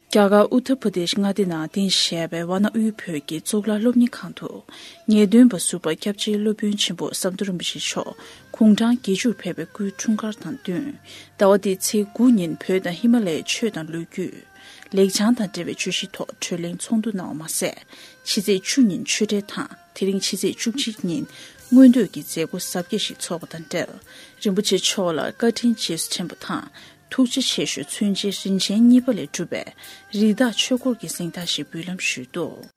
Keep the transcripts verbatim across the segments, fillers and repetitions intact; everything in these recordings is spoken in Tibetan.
རྒྱ་གར་ཨུ་ཏར་པྲ་དེཤ་མངའ་སྡེ་ནང་རྟེན་གཞི་བྱས་པའི་ཝཱ་ཎ་དབུས་བོད་ཀྱི་གཙུག་ལག་སློབ་གཉེར་ཁང་དུ། ངེས་སྟོན་པ་ཟུར་པ་སྐྱབས་རྗེ་སློབ་དཔོན་ཆེན་པོ་ཟམ་གདོང་རིན་པོ་ཆེ་མཆོག་དགུང་གྲངས་བརྒྱད་ཅུར་ཕེབས་པའི་སྐུའི་འཁྲུངས་སྐར་དང་བསྟུན། ཟླ་བ་འདིའི་ཚེས་དགུ་ཉིན་བོད་དང་ཧི་མ་ལ་ཡའི་ཆོས་དང་ལོ་རྒྱུས། ལེགས་བྱང་དང་འབྲེལ་བའི་བརྗོད་གཞི་ཐོག་གྲོས་གླེང་ཚོགས་འདུ་གནང་བ་མ་ཟད། ཕྱི་ཚེས་བཅུ་ཉིན་ཆོས་འབྲེལ་དང་། དེ་རིང་ཕྱི་ཚེས་བཅུ་གཅིག་ཉིན་མངོན་འདོད་ཀྱི་མཛད་སྒོ་གཟབ་རྒྱས་ཤིག་འཚོགས་པ་དང་འབྲེལ། རིན་པོ་ཆེ་མཆོག་ལ་བཀའ་དྲིན་རྗེས་སུ་དྲན་པ་དང་། ཐུགས་རྗེ་ཆེ་ཞུ་མཚོན་ཆའི་རིན་ཆེན་གཉིས་པ་ལས་གྲུབ་པའི་རི་དྭགས་ཆོས་འཁོར་གྱི་གཟེངས་རྟགས་ཤིག་འབུལ་ལམ་ཞུས་འདུག།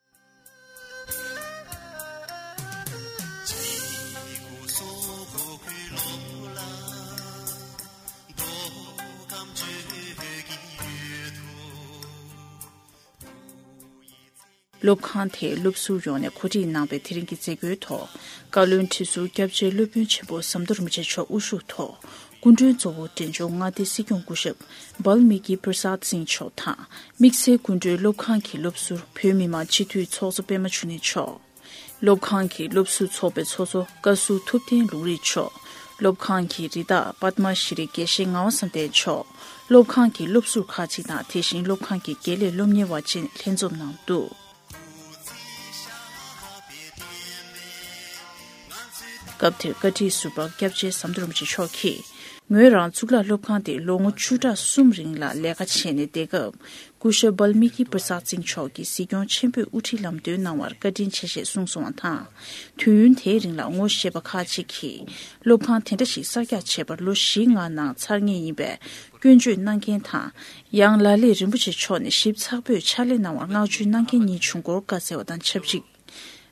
སློབ་ཁང་དེའི་སློབ་ཟུར་ཡོངས་ནས་གོ་སྒྲིག་གནང་བའི་དེ་རིང་གི་མཛད་སྒོའི་ཐོག་བཀའ་བློན་ཁྲི་ཟུར་སྐྱབས་རྗེ་སློབ་དཔོན་ཆེན་པོ་ཟམ་གདོང་རིན་པོ་ཆེ་མཆོག་དབུ་བཞུགས་ཐོག་སྐུ་མགྲོན་གཙོ་བོ་འབྲས་ལྗོངས་མངའ་སྡེའི་སྲིད་སྐྱོང་སྐུ་ཞབས་བལ་མི་ཀི་པྲ་སཱད་སིང་མཆོག་དང་། དམིགས་བསལ་སྐུ་མགྲོན་སློབ་ཁང་གི་སློབ་ཟུར་བོད་མི་མང་སྤྱི་འཐུས་ཚོགས་གཙོ་པད་མ་ཆོས་གླིང་མཆོག་སློབ་ཁང་གི་སློབ་ཟུར་ཚོགས་པའི་ཚོགས་གཙོ་བཀའ་ཟུར་ཐུབ་བསྟན་ལུང་རིགས་མཆོག་སློབ་ཁང་གི་རི་དྭགས་པདྨ་ཤྲི་རི་དགེ་བཤེས་ངག་དབང་བསམ་གཏན་མཆོག་སློབ་ཁང་གི་སློབ་ཟུར་ཁག་ཅིག་དང་། དེ་བཞིན་སློབ་ཁང་གི་དགེ་ལས་སློབ་གཉེར་བ་བཅས་ལྷན་འཛོམས་གནང་འདུག། སྐབས་དེར་བཀའ་ཁྲི་ཟུར་པ་སྐྱབས་རྗེ་ཟམ་གདོང་རིན་པོ་ཆེ་མཆོག་གིས། ངོས་རང་གཙུག་ལག་སློབ་ཁང་དེ་ལོ་ངོ་བཅུ་ཕྲག་གསུམ་རིང་ལ་ལས་ཀ་བྱས་ནས་བསྡད་སྐབས། སྐུ་ཞབས་བལ་མི་ཀི་པྲ་སཱད་སིང་མཆོག་གིས་གཟིགས་སྐྱོང་ཆེན་པོས་དབུ་ཁྲིད་ལམ་སྟོན་གནང་བར་བཀའ་དྲིན་ཆེ་ཞེས་གསུངས་སོང་བ་དང་། དུས་ཡུན་དེའི་རིང་ལ་ངོ་ཤེས་པ་ཁག་ཅིག་གིས། སློབ་ཁང་དེ་འདྲ་ཞིག་གསར་རྒྱག་བྱས་པར་ལོ་བཞི་ལྔ་ནང་ཚར་ངེས་ཡིན་པའི་སྐྱོན་བརྗོད་གནང་མཁན་དང་། ཡང་ལ་ལས་རིན་པོ་ཆེ་མཆོག་ནས་ཞིབ་ཚགས་པོས་ཕྱག་ལས་གནང་བར་བསྔགས་བརྗོད་གནང་མཁན་གཉིས་བྱུང་སྐོར་བཀའ་སྩལ་བ་དང་ཆབས་ཅིག།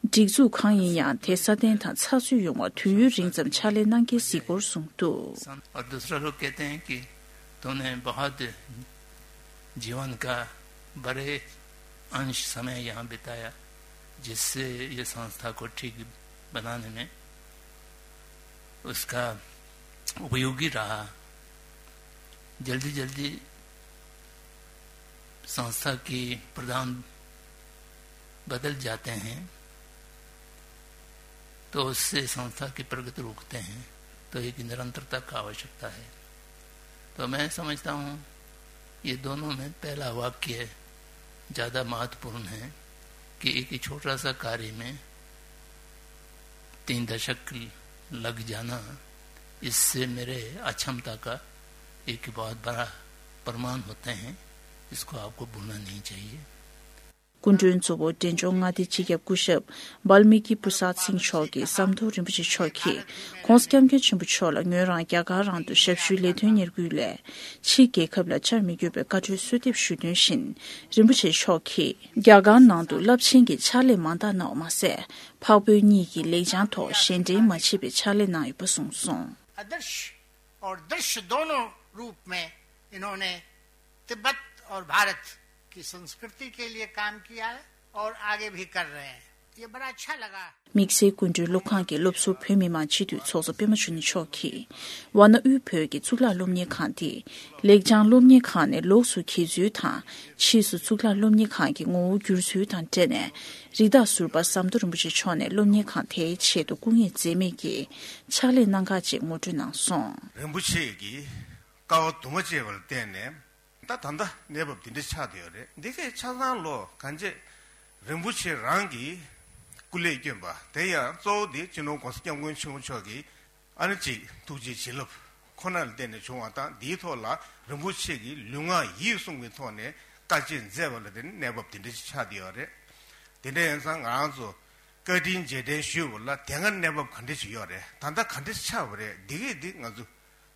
སྒྲིག་འཛུགས་གང་ཡིན་ཡང་དེ་སྲ་བརྟན་དང་ཚགས་ཚུད་ཡོང་བར་དུས་ཡུན་རིང་ཙམ་ཕྱག་ལས་གནང་མཁན་གཟིགས་སྐོར་གསུངས་འདུག། और दूसरा लोग कहते हैं कि तुमने बहुत जीवन का बड़े अंश समय यहाँ बिताया, जिससे ये संस्था को ठीक बनाने में उसका उपयोगी रहा। जल्दी जल्दी संस्था के प्रधान बदल जाते हैं, तो उससे संस्था की प्रगति रुकते हैं। तो एक निरंतरता का आवश्यकता है। तो मैं समझता हूँ, ये दोनों में पहला वाक्य ज़्यादा महत्वपूर्ण है कि एक छोटा सा कार्य में तीन दशक लग जाना, इससे मेरे अक्षमता का एक बहुत बड़ा प्रमाण होते हैं। इसको आपको भूलना नहीं चाहिए। སྐུ་མགྲོན་གཙོ་བོ་འབྲས་ལྗོངས་མངའ་སྡེའི་སྤྱི་ཁྱབ་སྐུ་ཞབས་བལ་མི་ཀི་པྲ་སཱད་སིང་མཆོག་གིས་ཟམ་གདོང་རིན་པོ་ཆེ་མཆོག་གིས་༸གོང་ས་༸སྐྱབས་མགོན་ཆེན་པོ་མཆོག་ལ་ངོས་རང་རྒྱ་གར་རང་དུ་ཞབས་ཞུའི་ལས་དོན་གཉེར་སྐུལ་སླད་ཕྱིའི་རྒྱལ་ཁབ་ལ་བཅར་མི་དགོས་པའི་བཀའ་འཁྲོལ་གསོལ་འདེབས་ཞུས་དོན་བཞིན། རིན་པོ་ཆེ་མཆོག་གིས་རྒྱ་གར་ནང་དུ་རླབས་ཆེན་གྱི་ཕྱག་ལས་མང་དག་གནང་བ་མ་ཟད། འཕགས་བོད་གཉིས་ཀྱི་ལེགས་བྱང་ཐོག་གཞན་འགྲན་མ་བྱེད་པའི་ཕྱག་ལས་གནང་ཡོད་པ་གསུངས་སོང་། आदर्श और दृश्य दोनों रूप में इन्होंने तिब्बत और भारत की संस्कृति के लिए काम किया है और आगे भी कर रहे हैं। ये बड़ा अच्छा लगा। དམིགས་བསལ་སྐུ་མགྲོན་སློབ་ཁང་གི་སློབ་ཟུར་བོད་མི་མང་སྤྱི་འཐུས་ཚོགས་གཙོ་པད་མ་ཆོས་གླིང་མཆོག་གིས། ཝཱ་ཎ་དབུས་བོད་ཀྱི་གཙུག་ལག་སློབ་གཉེར་ཁང་འདི་ལེགས་བྱང་སློབ་གཉེར་ཁང་ནས་ལོགས་སུ་གྱེས་ཚུལ་དང་། ཕྱིས་སུ་གཙུག་ལག་སློབ་གཉེར་ཁང་གི་ངོ་བོ་བསྒྱུར་ཚུལ་དང་འབྲེལ་ནས། རི་དྭགས་ཟུར་པ་ཟམ་གདོང་རིན་པོ་ཆེ་མཆོག་ནས་སློབ་གཉེར་ཁང་དེའི་ཆེད་དུ་སྐུ་ངལ་འཛེམས་མེད་ཀྱིས་ཕྱག་ལས་གནང་ཁག་ཅིག་ངོ་སྤྲོད་གནང་སོང་། རིན་པོ་ཆེ་གིས་དཀའ་བ་དུ་མ་སྤྱད་པ་ལ་བརྟེན་ནས། ད་ད་ལྟ་གནས་བབ་འདི་འདྲ་ཆགས་བསྡད་ཡོད་རེད། འདི་གས་ཆ་ཚང་ལོ་གང་ཅི་རིན་པོ་ཆེ་རང་གིས་སྐུ་ལས་བསྐྱོན་པ་དེ་ཡང་གཙོ་བོ་འདི་སྤྱི་ནོར་༸གོང་ས་༸སྐྱབས་མགོན་ཆེན་པོ་མཆོག་གིས་ཨ་ནི་གཅིག་ཐུགས་རྗེ་བྱིན་རླབས་ཁོ་ན་ལ་བརྟེན་ནས་བྱུང་བ་དང་། འདིའི་ཐོག་ལ་རིན་པོ་ཆེ་གིས་ལུས་ངག་ཡིད་གསུམ་གྱི་ཐོག་ནས་དཀའ་སྤྱད་མཛད་པ་ལ་བརྟེན་ནས་གནས་བབ་འདི་འདྲ་ཞིག་ཆགས་བསྡད་ཡོད་རེད། དེ་འདྲ་ཡིན་ཙང་ང་རང་ཚོ་བཀའ་དྲིན་རྗེས་དྲན་ཞུས་པ་ལ་དེ་སྔ་གནས་བབ་ག་འདྲ་ཞིག་ཡོད་རེད། ད་ལྟ་ག་འདྲ་ཞིག་ཆགས་པ་རེད། འདི་གས་འདི་ང་ཚོ་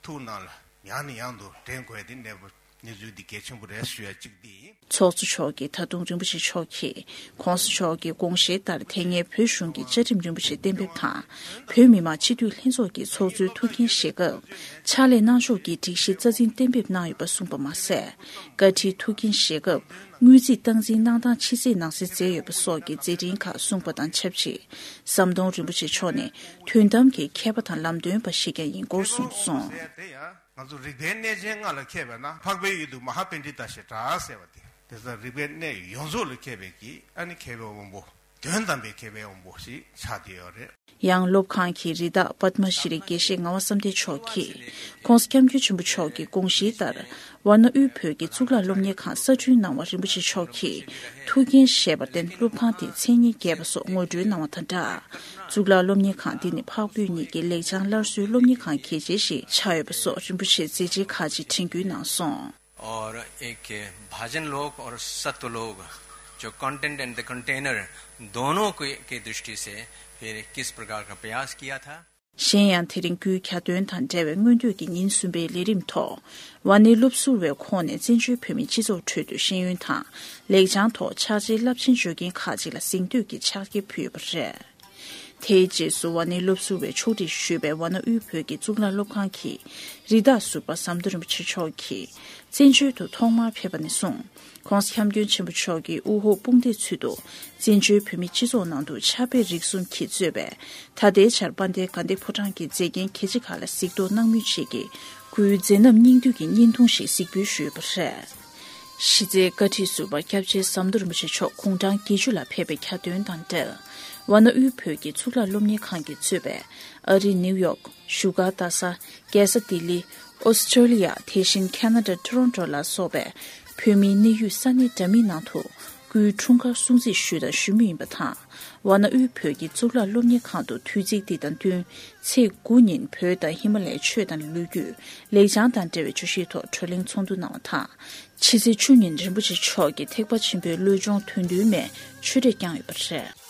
ཐུགས་ནང་ལ་ཡང་ནས་ཡང་དུ་དྲན་དགོས་ཡ་དེ་གནས་བབ་གནས་ཚུལ་འདི་གལ་ཆེན་པོ་རེད་ཞུ་ཡ་གཅིག་འདི་ཡིན། ཚོགས་གཙོ་མཆོག་གིས་ད་དུང་རིན་པོ་ཆེ་མཆོག་གིས་༸གོང་ས་མཆོག་གི་དགོངས་བཞེད་ལྟར་དེ་སྔའི་བོད་གཞུང་གི་བཅའ་ཁྲིམས་རིན་པོ་ཆེ་གཏན་འབེབས་དང་། བོད་མི་མང་སྤྱི་འཐུས་ལྷན་ཚོགས་ཀྱི་ཚོགས་གཙོའི་ཐུགས་འགན་བཞེས་སྐབས་ཕྱག་ལས་གནང་ཕྱོགས་ཀྱི་སྒྲིག་གཞི་རྩ་འཛིན་གཏན་འབེབས་གནང་ཡོད་པ་གསུངས་པ་མ་ཟད། བཀའ་ཁྲིའི་ཐུགས་འགན་བཞེས་སྐབས་དངུལ་རྩིས་སྟངས་འཛིན་གནང་སྟངས་ཕྱི་གསལ་ནང་གསལ་མཛད་ཡོད་པ་སོགས་ཀྱི་མཛད་འཕྲིན་ཁག་གསུངས་པ་དང་ཆབས་ཅིག། ཟམ་གདོང་རིན་པོ་ཆེ་མཆོག་ནི་དོན་དམ་གྱི་མཁས་པ་དང་ལམ་སྟོན་པ་ཞིག་ཀྱང་ཡིན་སྐོར་གསུངས་སོང་། དེ་ཡང་ང་ཚོ་རིག་པའི་གནས་ཆེན་ལྔ་ལ་མཁས་པས་ན། འཕགས་པའི་ཡུལ་དུ་མ་ཧཱ་པཎྜི་ཏ་ཞེས་གྲགས་ཟེར་བ་དེ། དེ་ཙང་རིག་པའི་གནས་ཡོངས་རྫོགས་ལ་མཁས་པའི་གི་ཨ་ནི་མཁས་པའི་དབང་པོ། དོན་དམ་པའི་མཁས་པའི་དབང་པོ་ཞིག་ཆགས་བསྡད་ཡོད་རེད། ཡང་སློབ་ཁང་གི་རི་དྭགས་པདྨ་ཤྲི་རི་དགེ་བཤེས་ངག་དབང་བསམ་གཏན་མཆོག་གིས་༸གོང་ས་༸སྐྱབས་མགོན་ཆེན་པོ་མཆོག་གི་དགོངས་གཞིའི་ལྟར་ཝཱ་ཎ་དབུས་བོད་ཀྱི་གཙུག་ལག་སློབ་གཉེར་ཁང་གསར་སྐྲུན་གནང་བར་རིན་པོ་ཆེ་མཆོག་གིས་ཐུགས་འགན་བཞེས་པར་བརྟེན་སློབ་ཁང་དེའི་མཚན་སྙན་རྒྱས་པ་སོགས་ངོ་སྤྲོད་གནང་བ་དང་སྦྲགས། གཙུག་ལག་སློབ་གཉེར་ཁང་འདི་ནི་འཕགས་བོད་གཉིས་ཀྱི་ལེགས་བྱང་སླར་གསོའི་སློབ་གཉེར་ཁང་གལ་ཆེ་ཞིག་ཆགས་ཡོད་པ་སོགས་རིན་པོ་ཆེས་མཛད་རྗེས་ཁག་ཅིག་དྲན་སྐུལ་གནང་སོང་། और एक भाजन लोक और सत्व लोक, जो कंटेनर एंड द कंटेनर दोनों के, की दृष्टि से फिर किस प्रकार का प्रयास किया था। གཞན་ཡང་དེ་རིང་སྐུའི་གྱ་སྟོན་དང་འབྲེལ་བའི་སྔོན་སྟོད་ཀྱི་ཉིན་གསུམ་པའི་ལས་རིམ་ཐོག་ཝཱ་ཎའི་སློབ་ཟུར་བའི་ཁོངས་ནས་བཙན་བྱོལ་བོད་མིའི་སྤྱི་ཚོགས་ཁྲོད་དུ་ཤེས་ཡོན་དང་ལེགས་བྱང་ཐོག་ཕྱག་ཆེའི་རླབས་ཆེན་བརྗོད་མཁན་ཁག་ཅིག་ལ་གཟེངས་བསྟོད་ཀྱི་ཕྱག་འཁྱེར་ཕུལ་ཡོད་པ་རེད། དེའི་རྗེས་སུ་ཝཱ་ཎའི་སློབ་ཟུར་བས་ཕྱོགས་སྒྲིག་ཞུས་པའི་ཝཱ་ཎ་དབུས་བོད་ཀྱི་གཙུག་ལག་སློབ་ཁང་གི་རི་དྭགས་ཟུར་པ་ཟམ་གདོང་རིན་པོ་ཆེ་མཆོག་གིས་བཙན་བྱོལ་དུ་ཐོག་མར་ཕེབས་པ་ནས་བཟུང་༸གོང་ས་༸སྐྱབས་མགོན་ཆེན་པོ་མཆོག་གིས་དབུ་འོག་དཔུང་སྡེའི་ཚུལ་དུ་བཙན་བྱོལ་བོད་མིའི་སྤྱི་ཚོགས་ནང་དུ་ཕྱག་དཔེ་རིགས་གསུམ་གྱིས་གཙོས་པའི་ད་ལྟའི་ཆར་དཔལ་ལྡན་དགའ་ལྡན་ཕོ་བྲང་གི་མཛེས་རྒྱན་གལ་ཆེ་ཁག་ལ་གཟིགས་རྟོག་གནང་མུས་ཆེད་ཀྱི་སྐུའི་མཛད་རྣམ་སྙིང་བསྡུས་ཀྱི་བརྙན་ཐུང་ཞིག་གཟིགས་འབུལ་ཞུས་ཡོད་པ་རེད། གཞི་རྩའི་བཀའ་ཁྲི་ཟུར་པ་སྐྱབས་རྗེ་ཟམ་གདོང་རིན་པོ་ཆེ་མཆོག་དགུང་གྲངས་བརྒྱད་ཅུ་ལ་ཕེབས་པའི་གྱ་སྟོན་དང་འབྲེལ། ཝཱ་ཎ་དབུས་བོད་ཀྱི་གཙུག་ལག་སློབ་གཉེར་ཁང་གིས་གཙོས་པའི་ཨ་རི་ནིའུ་ཡོག་བཞུགས་སྒར་རྡ་ས། རྒྱལ་ས་ལྡི་ལི། ཨོ་སི་ཀྲོ་ལི་ཡ། དེ་བཞིན་ཁ་ན་ཌ་ཊོ་རོན་ཊོ་ལ་སོགས་པའི་བོད་མིའི་གནས་ཡུལ་ས་གནས་འདྲ་མིན་ནང་དུ་སྐུའི་འཁྲུངས་སྐར་སྲུང་བརྩི་ཞུས་དང་ཞུ་མུས་ཡིན་པ་དང་། ཝཱ་ཎ་དབུས་བོད་ཀྱི་གཙུག་ལག་སློབ་གཉེར་ཁང་དུ་དུས་ཚིགས་འདི་དང་བསྟུན་ཚེས་དགུ་ཉིན་བོད་དང་ཧི་མ་ལ་ཡའི་ཆོས་དང་ལོ་རྒྱུས་ལེགས་བྱང་དང་འབྲེལ་བའི་བརྗོད་གཞིའི་ཐོག་བགྲོ་གླེང་ཚོགས་འདུ་གནང་བ་དང་། ཕྱི་ཚེས་བཅུ་ཉིན་རིན་པོ་ཆེ་མཆོག་གིས་ཐེག་པ་ཆེན་པོའི་བློ་སྦྱོང་དོན་བསྡུའི་མའི་ཆོས་འབྲེལ་བསྐྱངས་ཡོད་པ་རེད།